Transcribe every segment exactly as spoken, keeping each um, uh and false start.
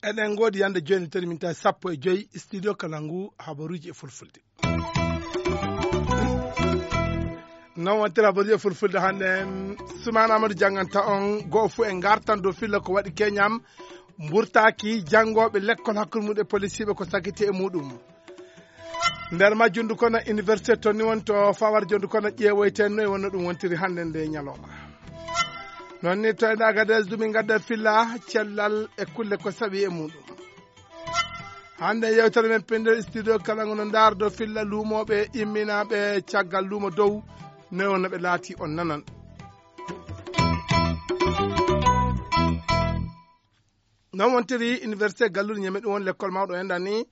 Eɗen ngoodi yande jooni tati minta sappo e joyi studio kala ngu habaruuji e fulfulde. Non wontere habaruuji e fulfulde hannde, Sumaana Amadou jannganta on go'o fuu e ngartan dow filla ko waɗi keñam mburtaaki janngooɓe lekkol hakkunde mum e polisiiɓe ko sakiti e muɗum. Nder majjum ndu kono université tonni won to fawar jondu kono ƴeewoyten no e wonno ɗum wontiri hannde nde ñalawma. Noon ni to ene Agadez dumi ngadda filla cellal e kulle ko sawi e muɗum. Hannde yewtere men pender studio kala ngono ndaardo filla luumooɓe imminaaɓe caggal luumo dow no e wonno ɓe laati on nanan. Non wontiri université galluɗo ñame ɗum won lekkol mawɗo enɗan ni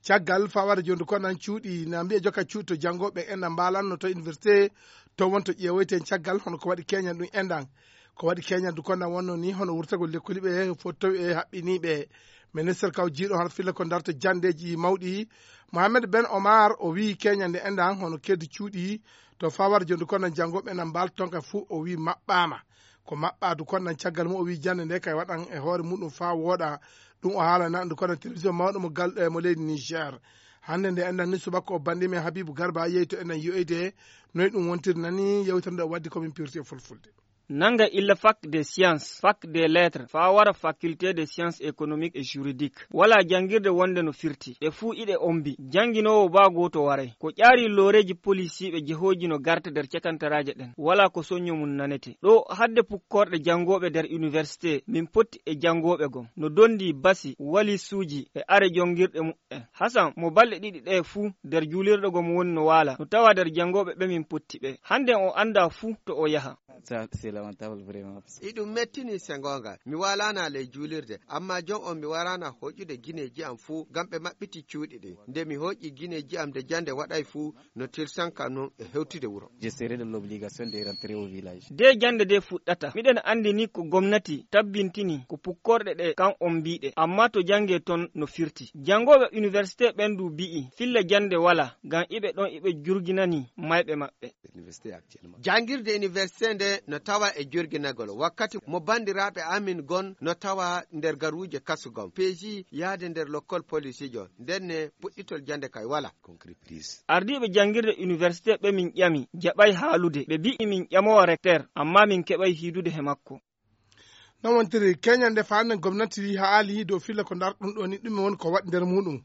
caggal fawade jondu konnan cuuɗi na mbiya jokka cuuɗi to janngoɓe enɗan mbalanno to université to won to ƴeewoyten caggal hono ko waɗi keñan ɗum enɗan. Ko waɗi keñan du konnan wonno ni hono wurtagol lekkoli ɓe fottowi e haɓɓiniɓe. Ministre kaw jiiɗo hono filla ko darta jandeji mawɗi, Mohamed Ben Omar, o wi keñande enɗan hono keddi cuuɗi to fawade jondu konnan janngoɓe enɗan mbal tonka fuu o wi maɓɓama. Ko maɓɓaadu konnan caggal mum o wi jannde nde kay waɗan e hoore muɗum faa wooɗa. Ɗum o haalana ndu kono télévision mawɗo mo gal e mo leydi Niger. Hannde nde enɗan ni subaka o banndi men Habibu Garba yehi to enɗan yi'oyde noy ɗum wontiri nani yewtere nde o waddi komin pirti e fulfulde. Nanga illa fac des sciences, fac des lettres, faa wara faculté des sciences économiques et juridiques. Wala janngirde wonde no firti. Ɗe fuu iɗe ombi. Jannginoowo baa gooto waray. Ko ƴaari looreeji polisiiɓe jehooji no garta nder cakantaraaje ɗen. Wala ko soñño mum nanete. Ɗo hadde pukkorɗe janngooɓe nder université, min potti e janngooɓe gom. No donndi basi, walisuuji e are jonngirɗe muɓɓen. Hasan, mo balɗe ɗiɗi ɗe fuu nder juulirɗe gom woni no waala. No tawa nder janngooɓe ɓe min potti ɓe. Hannde o anndaa fuu to o yaha. Ça, c'est lamentable, vraiment. Iɗum mettini se ngoonga. Mi waalaana ley juulirde, amma jon on mi waraana hoƴude gineeji am fuu, ngam ɓe maɓɓiti cuuɗi ɗin. Nde mi hoƴi gineeji am nde jannde waɗay fuu, no tirsan kam non e hewtude wuro. Je serai dans l'obligation de rentrer au village. De jannde de fuɗɗata. Miɗen anndi ni ko gomnati tabbintini ko pukkorɗe ɗe kan on mbiɗe, amma to jannge ton no firti. Janngooɓe université ɓen du bi'i filla jannde wala, ngam iɓe ɗon iɓe jurginani mayɓe maɓɓe. Université actuellement. Janngirde université nde no tawa e jurginagol. Wakkati mo banndiraaɓe amin gon no tawa nder garuuje kasu gon. Peeji yahde nder lokkol polisiijo. Nden ne puɗɗitol jannde kay wala. Concret prise. Ardiiɓe janngirde université ɓe min ƴami, jaɓay haalude. Ɓe bi'i min ƴamowa recteur, amma min keɓay hiidude he makko. Non wontiri keñande faande gomnati haali dow filla ko ndarɗum ɗo ni ɗum woni ko waɗi nder muɗum.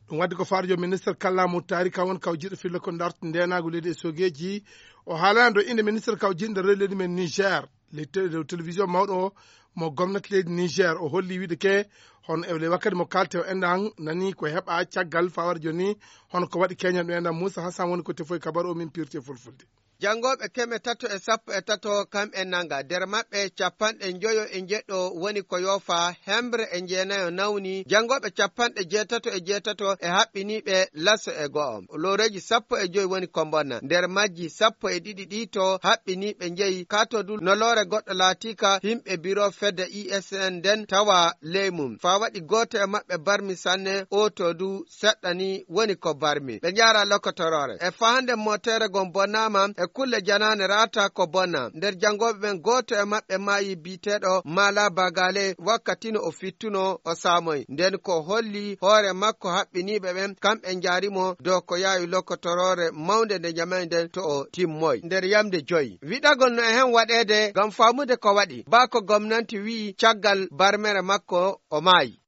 Ɗum waddi ko faarjo ministre kallamu taari kan woni kaw jiɗo filla ko ndarti ndenaagu leydi e sogeeji. O haalana dow innde ministre kaw jiɗo nder leydi men Niger. Leydi dow télévision mawɗo mo gomnati leydi Niger o holli wiide ke hono e wakkati mo kalte o enɗan nani ko heɓa caggal fawar joni. Hono ko waɗi keñan ɗo enɗan Moussa Hassan woni ko tefoy kabaru o min pirti e fulfulde. Janngooɓe keme tato e sappo e tato kam e nanga, nder maɓɓe capanɗe njoyo e njeɗɗo woni ko yoofa, hembre e njeenayo nawni, janngooɓe capanɗe jeetato e jeetato e haɓɓiniiɓe laso e go'o. Looreeji sappo e joyi woni ko mbonna, nder majji sappo e ɗiɗi ɗi to haɓɓiniiɓe njeyi. Ka to du no loore goɗɗo laatiika, yimɓe biro fedde I S N nden tawa ley mum. Faa waɗi gooto e maɓɓe barmi sanne, o to du seɗɗa ni woni ko barmi. Ɓe njaara lokotoroore. E faande mootere gon bonnaama, e kulle janaane raata ko bonna. Nder janngooɓe ɓen gooto e maɓɓe maayi biiteeɗo Mala Bagale wakkati no o fittuno o saamoy. Nden ko holli hoore makko haɓɓiniiɓe ɓen, kamɓe njaari mo dow ko yaawi lokotoroore mawnde nde njamay nden to o timmoy. Nder yamde joyi. Wiɗagol no e hen waɗeede ngam faamude ko waɗi. Baa ko gomnanti wi'i caggal barmere makko o maayi.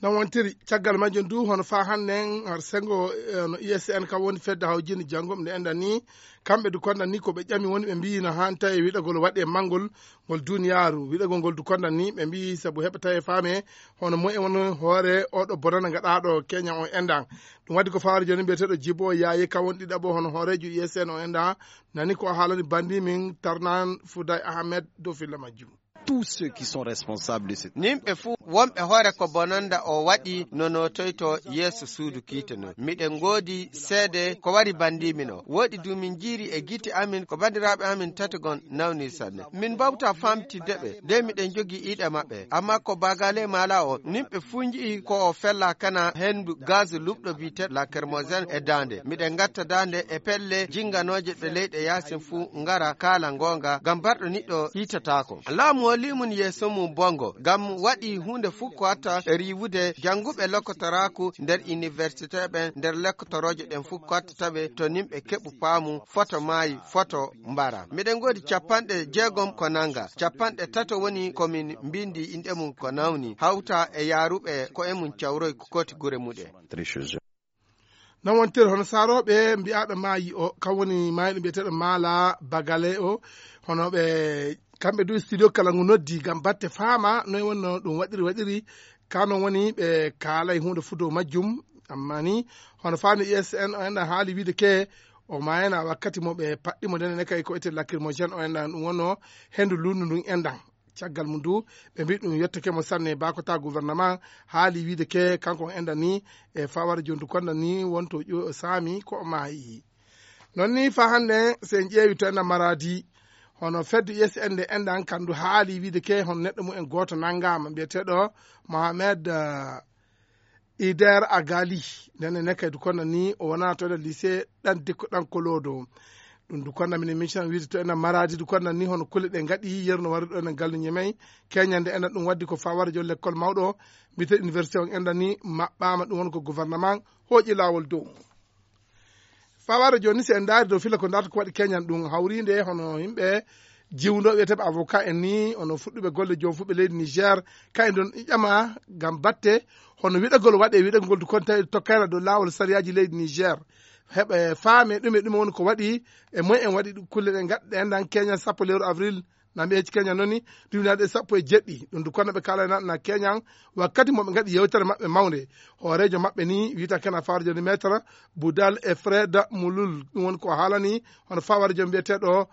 Non wontiri caggal majjum du hono faa hannden har sengo eh, no I S N kam woni fedde hawjinde janngo nde enɗan ni kamɓe du konɗan ni ko ɓe ƴami woni ɓe mbiyi no haan tawi wiɗagol waɗi e manngol ngol duniyaaru wiɗagol ngol du konɗan ni ɓe mbiyi sabu heɓa tawi faame hono moye woni hoore oɗo bonana gaɗaaɗo keña on enɗan. Ɗum waddi ko fawaade jooni mbiyeteeɗo Jibo Yaaye kam woni ɗiɗaɓo hono hooreejo I S N o enɗan nani ko haalani banndi min Tarnan Fuday Ahmed dow filla majjum. Tous ceux qui sont responsables de cette nimɓe fuu wonɓe hoore ko bononda o waɗi no notoyto yeeso suudu kiite non. Miɗen ngoodi seede ko wari bandiimi no. Woɗi du min jiiri e gite amin ko banndiraaɓe amin tati gon nawni sanne. Min mbawta famtidde ɓe de miɗen jogii iɗe maɓɓe. Amma ko bagale mala o nimɓe fuu nji'i ko o fella kana hendu gaz luɓɗo biyeteeɗo lacrymogène e daande. Miɗen ngatta daande e pelle jinganooje ɗe leyɗe yaasin fuu ngara kaala ngoonga ngam barɗo niɗɗo hiitataako. Laamu o limun yeeso mum bongo ngam waɗi huunde fuu ko watta riiwude jannguɓe lokkotoraaku nder iniwersite ɓen nder lokkotorooje ɗen fuu ko wattata ɓe to nimɓe keɓu paamu foto maayi foto mbara. Miɗen ngoodi capanɗe jeegom ko nanga. Capanɗe tato woni ko min mbindi inɗe mum ko nawni hawta e yaaruɓe ko e mum cawroy ko kooti gure muɗe. Non wontiri hono saarooɓe mbiyaaɓe maayi o kam woni maayɗo mbiyeteeɗo maala bagale o hono ɓe kamɓe du studio kala ngu noddi ngam batte faama noy wonno ɗum waɗiri waɗiri kano woni ɓe kaalay huunde fuu dow majjum. Amma ni hono faami usn o enɗan haali wiide ke o maayana wakkati mo ɓe paɗɗi mo ndene ne kay ko ete lacrymogène o enɗan ɗum wonno hendu lundu ndun enɗan. Caggal mum du ɓe mbi ɗum yettake mo sanne bakota gouvernement haali wiide ke kanko on enɗan ni e fawara jondu konda ni wonto ƴo saami ko o maayi. Non ni fa hannde so en ƴeewi to enɗan maradi hono fedde usn nde enɗan kandu haali wiide ke hono neɗɗo mum en gooto nanngaama mbiyeteeɗo mohamed ider agali. Nden e nekkay du konda ni o wonaa to enɗan lycée ɗan dikko ɗan kolodo. Ɗum du konda minen mission wiide to enɗan maradi du konda ni hono kulle ɗe ngaɗi yerno wari ɗo enɗan gallu ñemey keñande enɗan ɗum waddi ko fawara jo lekkol mawɗo mbiyete université on enɗan ni maɓɓama ɗum won ko gouvernement hooƴi laawol dow mum. Fawara jooni si en ndaari dow fila ko ndarta ko waɗi keñan ɗum hawrinde hono yimɓe jiwndo wiyeteɓe avocat en ni hono fuɗɗuɓe golle joom fuɓe leydi niger kayen ɗon ƴama ngam batte hono wiɗagol waɗe wiɗagol du kon tawi tokkayla dow laawol sariyaaji leydi niger heɓa faame ɗume ɗume woni ko waɗi e moy en waɗi kulle ɗe gaɗɗe enɗan keñan sappo lewru avril. Na mbiye hecci keñan noon ni duwinaade e sappo e jeɗɗi ɗum du kono ɓe kaalana na keñan wakkati mo ɓe ngaɗi yewtere maɓɓe mawnde hooreejo maɓɓe ni wiyta kena fawre joni maître boudal e fred mulul ɗum woni ko haalani hono fawre jom mbiyeteeɗo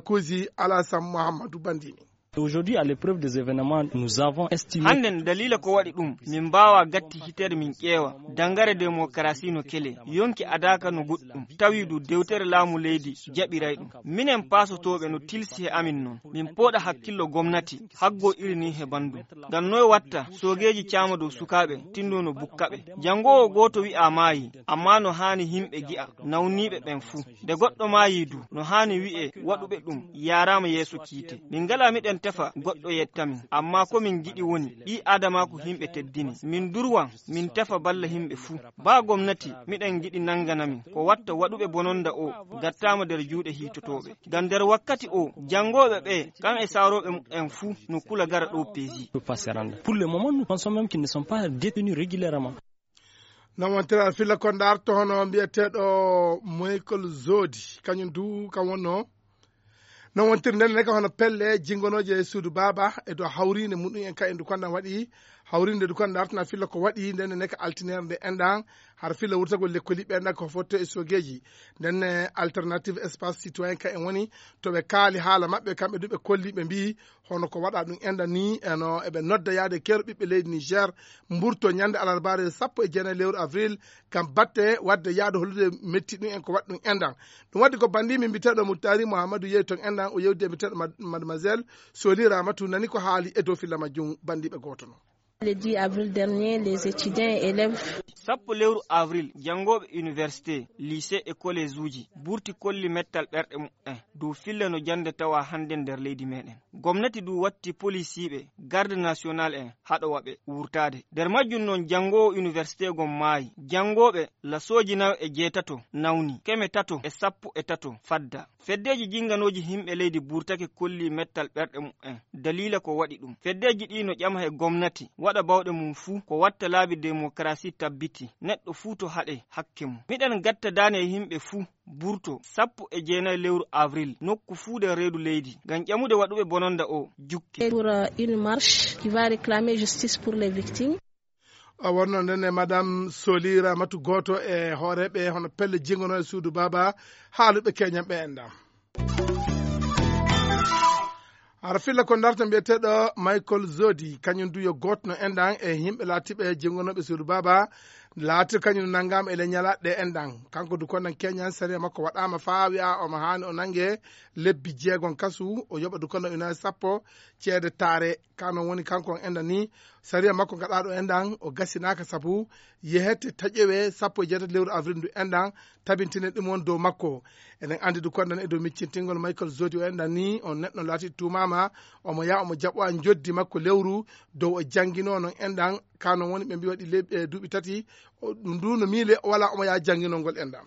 kuusi alasam mouhammadou bandimi. Aujourd'hui, à l'épreuve des événements, nous avons estimé. Hannden daliila ko waɗi ɗum min mbaawa gatti hitere min ƴeewa dangare démocratie no kele yonki adaaka no goɗɗum tawi du dewtere laamu leydi jaɓiray ɗum. Minen paasotooɓe no tilsi he amin non min pooɗa hakkillo gomnati haggo iri ni he banndum. Ngam noy watta soogeeji caama dow sukaaɓe tinndo no bukkaɓe. Janngoowo gooto wi'a maayi amma no haani yimɓe gi'a nawniiɓe ɓen fuu. Nde goɗɗo maayi du no haani wi'e waɗuɓe ɗum yaaraama yeeso kiite. Min ngalaa miɗen tefa goɗɗo yetta min amma ko min ngiɗi woni ɓii aadamaaku yimɓe teddini min durwan min tefa balla yimɓe fuu. Baa gomnati miɗen ngiɗi nanngana min ko watta waɗuɓe bononnda o gattaama nder juuɗe hiitotooɓe. Ngam nder wakkati o janngooɓe ɓee kam e saarooɓe muɓɓen fuu no kula gara ɗoo peesi. Pour le moment nous pensons même qu'ils ne sont pas détenus régulièrement. Non wontiri aɗa filla ko ndarto hono mbiyeteeɗo michael zodi kañum du kam wonno. Non wontiri nden neka hono pelle jingonooje e suudu baaba e dow hawriinde muɗum en ka en du kondan waɗi hawriinde du kondan dartana filla ko waɗi nden neka altinere nde enɗan hara filla wurtagol lekkoliɓɓe enɗan ko fotto e sogeeji. Ndenne alternative espace citoyen ka en woni to ɓe kaali haala maɓɓe kamɓe du ɓe kolli ɓe mbiyi hono ko waɗa ɗum enɗan ni eno eɓe nodda yaade keero ɓiɓɓe leydi niger mburto ñande alarbaare sappo e jeenayi lewru avril ngam batte waɗde yaade hollude metti ɗum en ko waɗi ɗum enɗan. Ɗum waɗi ko banndi min mbiteɗo muttari mouhamadou yehi toon enɗan o yewdi e mbiteɗo mademoiselle soli ramatou nani ko haali e dow filla majjum banndiɓe gooto noon. Le dix avril dernier les étudiants et élèves sappo lewru avril janngooɓe université lycée e collége uji burti kolli mettal ɓerɗe muɓɓen dow filla no jannde tawa hannde nder leydi meɗen. Gomnati du watti polisiiɓe garde national en haɗowa ɓe wurtaade. Nder majjum noon janngoowo université gon maayi. Janngooɓe lasooji nayo e jeetato nawni keme tato e sappo e tato fadda. Feddeeji jinnganooji yimɓe leydi burtake kolli mettal ɓerɗe muɓɓen daliila ko waɗi ɗum. Feddeeji ɗii no ƴama he gomnati waɗa bawɗe mum fuu ko watta laabi demokarasi tabbiti neɗɗo fuu to haɗe hakke mum. Miɗen gatta daane e yimɓe fuu burto sappo e jeenayi lewru avril nokku fuu nder reedu leydi ngam ƴamude waɗuɓe bononda o jukke. Pour une marche qui va réclamer justice pour les victimes. O wonno nden e madame soli ramatu gooto e hooreeɓe hono pelle jingono e suudu baaba haaluɓe keñanɓe enɗan. Hara filla ko ndarta mbiyeteeɗo Michael Zodi, kañum du yo gooto no enɗan e yimɓe laatiiɓe jenngonooɓe suudu baaba, laati kañum nanngaama e le ñalaaɗe ɗe enɗan. Kanko du konɗan keñan sariya makko waɗaama faa wi'a omo haani o nannge lebbi jeegon kasu, o yoɓa du konɗan ujunaaji sappo ceede taare. Ka noon woni kanko on enɗan ni, sariya makko gaɗaaɗo enɗan o gasinaaka sabu yehete taƴewe sappo e jeetati lewru avril ndu enɗan, tabintine ɗum on dow makko. Eɗen anndi du konɗan e dow miccintingol Michael Zodi o enɗan ni, on neɗɗo laati tuumaama, omo yaa omo jaɓowa njoddi makko lewru dow o janngino noon enɗan, ka noon woni ɓe mbi waɗi le-, e duuɓi tati, o, ɗum du no miile o wala omo yaa jannginol ngol enɗan.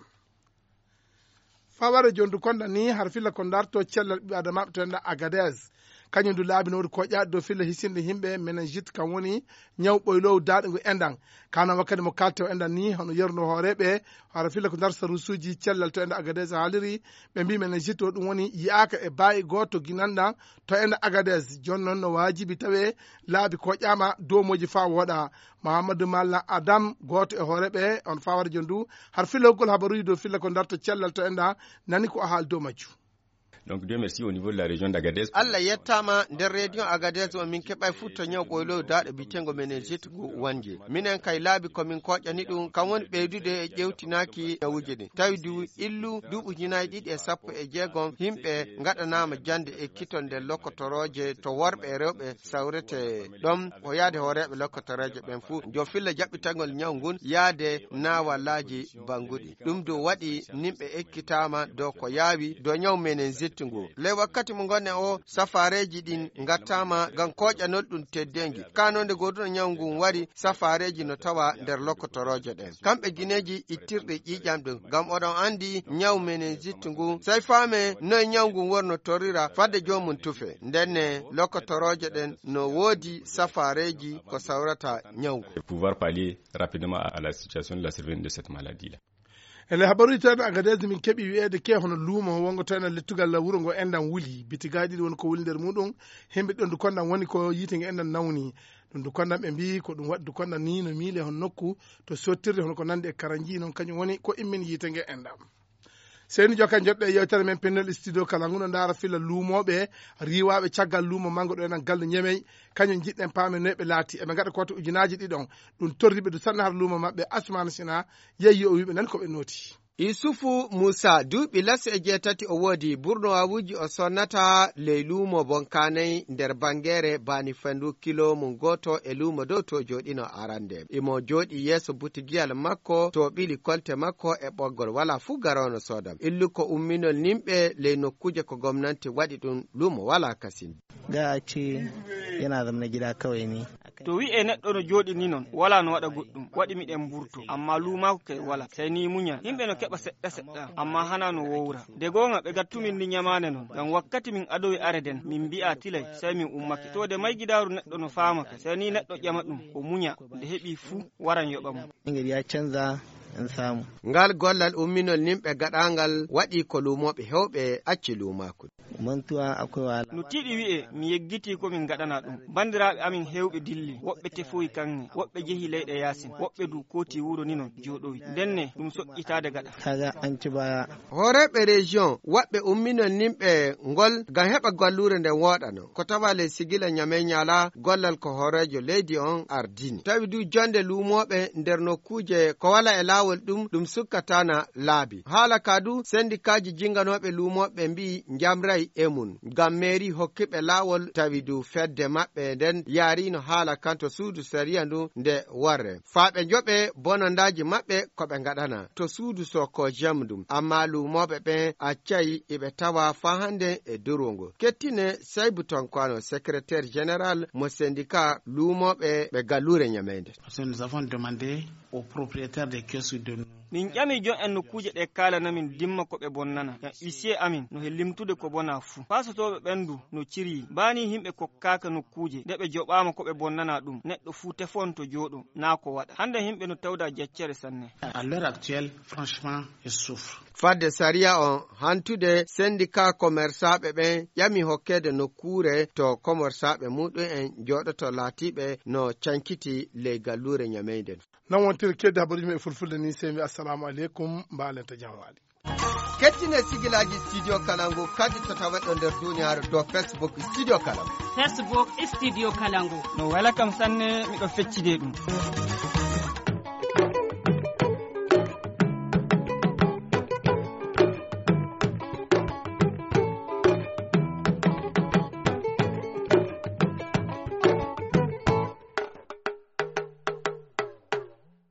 Faware jondu konɗan ni har filla ko ndarto cellal ɓiɓɓe adamaaɓe to enɗan Agadez. Kañum du laabi no wodi koƴa dow filla hisinde yimɓe meningite kan woni ñaw ɓoylow daaɗe ngu enɗan. Kana wakkati mo kalte o enɗan ni hono yerno hooreɓe, hara filla ko ndar sarusuji cellal to enɗan Agadez haaliri, ɓe mbi meningite o ɗum woni yi'aka e baayi gooto ginanɗan to enɗan Agadez. Jooni noon no waajibi tawe laabi koƴama dow moji faa wooɗa. Mahamadou Malla Adam, gooto e hooreɓe on faware jondu, har filla hokkol habaruji dow filla ko ndarto cellal to enɗan, nani ko o haali dow majju. Donc, Dieu merci, au niveau de la région d'Agadez. Allah yettaama, nder région Agadez o min keɓay fuɗto ñaw ɓoyloyo daaɗe bitengo meningite ngu wonje. Minen kay laabi ko min koƴani ɗum, kam woni ɓeydude e ƴewtinaaki ñawuji ɗin. Tawi du illu duuɓi ujunaaji ɗiɗi e sappo e jeegom, yimɓe ngaɗanaama jannde ekkiton nder lokotorooje to worɓe e rewɓe sawrete ɗon, o yaade hooreeɓe lokotorooje ɓen fuu. Jo filla jaɓɓitagol ñaw ngun yaade naawalaaji banguɗi. Ɗum du waɗi nimɓe ekkitaama dow ko yaawi dow ñaw meningite ngu. Ley wakkati mo ngonnen o, safaareeji ɗin ngattaama ngam kooƴanol ɗum teddeengi. Kaa noon nde gooduɗo ñaw ngun wari, safaareeji no tawa nder lokotorooje ɗen. Kamɓe gineeji ittirɗi ƴiiƴam ɗum, ngam oɗon anndi ñaw meningite ngu, sey faame noye ñaw ngun wonno torrira fadde joomum tufe. Ndenne lokotorooje ɗen no woodi safaareeji ko sawrata ñaw ngun. Pouvoir pallier rapidement à, à la situation de la survenue de cette maladie-là. E nder habaruuji tawde Agadez, min keɓi wiyeede ke hono luumo wongo to enen lettugal wuro ngo enɗan wuli. Bitigaaji ɗiɗi woni ko wuli nder muɗum. Himɓe ɗon du konɗan woni ko yiite nge enɗan nawni. Ɗum du konɗan ɓe mbii ko ɗum waɗi du konɗan ni no miile hono nokku to sottirde hono ko nandi e karanji noon kañum woni ko immini yiite nge enɗan. Seyni Jokalante, joɗɗo e yewtere men pennel studio kala nguno ndaara filla luumooɓe riiwaaɓe caggal luumo manngo ɗo enen galle Ñemey. Kañum njiɗɗen paamen noy ɓe laati. Eɓe ngaɗa ko wata ujunaaji ɗiɗon. Ɗum torri ɓe du sanne har luumo maɓɓe. Asmaana Sina yehi o wiiɓe nan ko ɓe nooti. Isufu Muusa, duuɓi laso e jeetati o woodi, burno waawuuji o sonnata ley luumo Bonkaanay nder Banngeere Baani Fendu kilo mum gooto e luumo dow to jooɗino arande. Imo jooɗi yeeso butigiyal makko to ɓili kolte makko e ɓoggol, walaa fuu garoono soodam. Illu ko umminol nimɓe ley nokkuuje ko gomnanti waɗi ɗum, luumo walaa kasin. Ga a ce yana zama na gida kawai ne. To wi'e neɗɗo no jooɗi ni non, walaa no waɗa goɗɗum, waɗi miɗen mburto, ammaa luumaaku kay walaa, sey ni muñal. Yimɓe no keɓa seɗɗa seɗɗa, ammaa hanaa no wowra. Nde goonga, ɓe gattumin ni ñamaane non, ngam wakkati min adowi are den, min mbi'a tilay, sey min ummake. To de maygidaaru neɗɗo no faama kay, sey ni neɗɗo ƴama ɗum, o muña, nde heɓi fuu, waran yoɓa mo. Ingrid ya canza in samu. Ngal gollal umminol nimɓe gaɗaangal waɗi ko luumooɓe heewɓe acci luumaaku. Mantuwa akwai wahala. No tiiɗi wi'e, mi yeggitii ko min ngaɗana ɗum. Banndiraaɓe amin heewɓe dilli, woɓɓe tefoyi kaŋŋe, woɓɓe jehi leyɗe yaasin, woɓɓe du kooti wuro ni non jooɗowi. Ndenne ɗum soƴƴitaade gaɗa. Kaga an ci baya. Hooreeɓe région, waɗɓe umminol nimɓe ngol ngam heɓa galluure nden wooɗano. Ko tawa ley sigila Ñamey Ñaala, gollal ko hooreejo leydi on ardini. Tawi du jonde luumooɓe nder nokkuuje ko wala e laawol ɗum, ɗum sukkatana laabi. Haala ka du, sendikaaji jinganooɓe luumooɓe mbi'i njamray e mum. Ngam meeri hokkiɓe laawol, tawi du fedde maɓɓe nden yaarino haala kan to suudu sariya ndu nde warre. Faa ɓe njoɓe bonandaaji maɓɓe ko ɓe ngaɗana to suudu Sokojam ɗum. Ammaa luumooɓe ɓen accay iɓe tawa faa hande e durwongo. Kettine Saybu Tonkwano, secrétaire général mo sendika luumooɓe ɓe galluure Ñameynde. Parce que nous avons demandé aux propriétaires des kiosques de nous. Min ƴami jon en nokkuuje ɗe kaalana min dimma ko ɓe bonnana. Ngam huissier amin no he limtude ko bona fuu. Paasotooɓe ɓen du no ciryi. Baa ni himɓe kokkaaka nokkuuje, nde ɓe joɓaama ko ɓe bonnana ɗum, neɗɗo fuu tefon to jooɗo, naa ko waɗa. Hande himɓe no tawda jaccere sanne. À l'heure actuelle, franchement, ils souffrent. Fadde sariya on hantude, sendika komersaaɓe ɓen ƴami hokkeede nokkuure to komersaaɓe muɗum en jooɗoto laatiiɓe no cankiti ley galluure Ñameynde. Non wontiri keddi habaruuji men e fulfulde ni, sey mi assalamu aleykum, mbaalen to jam waali. Kettine sigilaaji Studio Kalangu kadi to taweɗo nder duniyaaru to Facebook Studio Kalangu. Facebook Studio Kalangu. No wela kam sanne, miɗo feccide ɗum.